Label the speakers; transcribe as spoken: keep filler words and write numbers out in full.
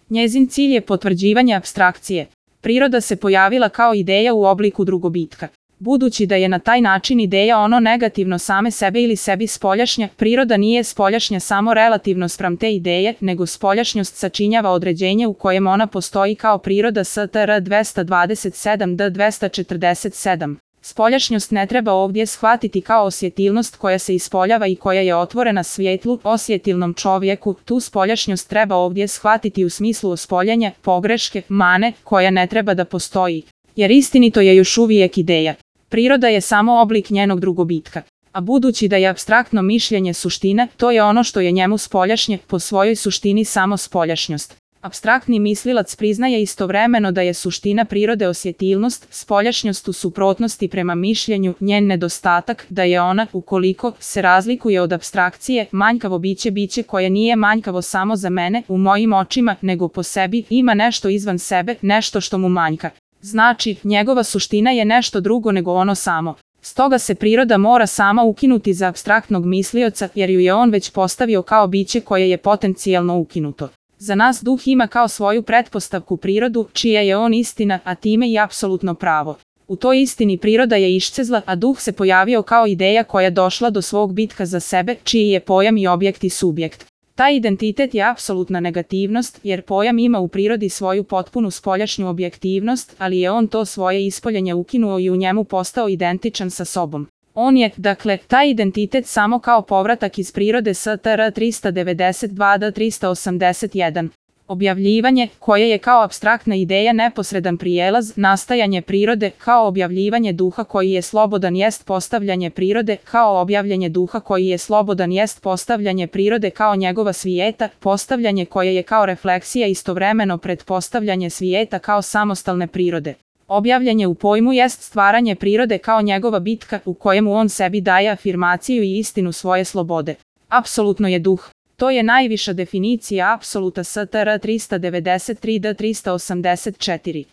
Speaker 1: Njezin cilj je potvrđivanje apstrakcije. Priroda se pojavila kao ideja u obliku drugobitka. Budući da je na taj način ideja ono negativno same sebe ili sebi spoljašnja, priroda nije spoljašnja samo relativno spram te ideje, nego spoljašnjost sačinjava određenje u kojem ona postoji kao priroda S T R dvesta dvadeset sedam D dvesta četrdeset sedam. Spoljašnjost ne treba ovdje shvatiti kao osjetilnost koja se ispoljava i koja je otvorena svjetlu, osjetilnom čovjeku. Tu spoljašnjost treba ovdje shvatiti u smislu ospoljenja, pogreške, mane, koja ne treba da postoji. Jer istinito je još uvijek ideja. Priroda je samo oblik njenog drugobitka. A budući da je apstraktno mišljenje suština, to je ono što je njemu spoljašnje, po svojoj suštini samo spoljašnjost. Apstraktni mislilac priznaje istovremeno da je suština prirode osjetilnost, spoljašnjost u suprotnosti prema mišljenju, njen nedostatak, da je ona, ukoliko se razlikuje od apstrakcije, manjkavo biće biće koje nije manjkavo samo za mene, u mojim očima, nego po sebi, ima nešto izvan sebe, nešto što mu manjka. Znači, njegova suština je nešto drugo nego ono samo. Stoga se priroda mora sama ukinuti za apstraktnog mislioca, jer ju je on već postavio kao biće koje je potencijalno ukinuto. Za nas duh ima kao svoju pretpostavku prirodu, čija je on istina, a time i apsolutno pravo. U toj istini priroda je iščezla, a duh se pojavio kao ideja koja došla do svog bitka za sebe, čiji je pojam i objekt i subjekt. Taj identitet je apsolutna negativnost, jer pojam ima u prirodi svoju potpunu spoljašnju objektivnost, ali je on to svoje ispoljenje ukinuo i u njemu postao identičan sa sobom. On je, dakle, taj identitet samo kao povratak iz prirode S T R trista devedeset dva D trista osamdeset jedan. Objavljivanje, koje je kao apstraktna ideja neposredan prijelaz, nastajanje prirode, kao objavljivanje duha koji je slobodan jest postavljanje prirode, kao objavljanje duha koji je slobodan jest postavljanje prirode kao njegova svijeta, postavljanje koje je kao refleksija istovremeno pretpostavljanje svijeta kao samostalne prirode. Objavljanje u pojmu jest stvaranje prirode kao njegova bitka u kojemu on sebi daje afirmaciju i istinu svoje slobode. Apsolutno je duh. To je najviša definicija apsoluta S T R trista devedeset tri D trista osamdeset četiri.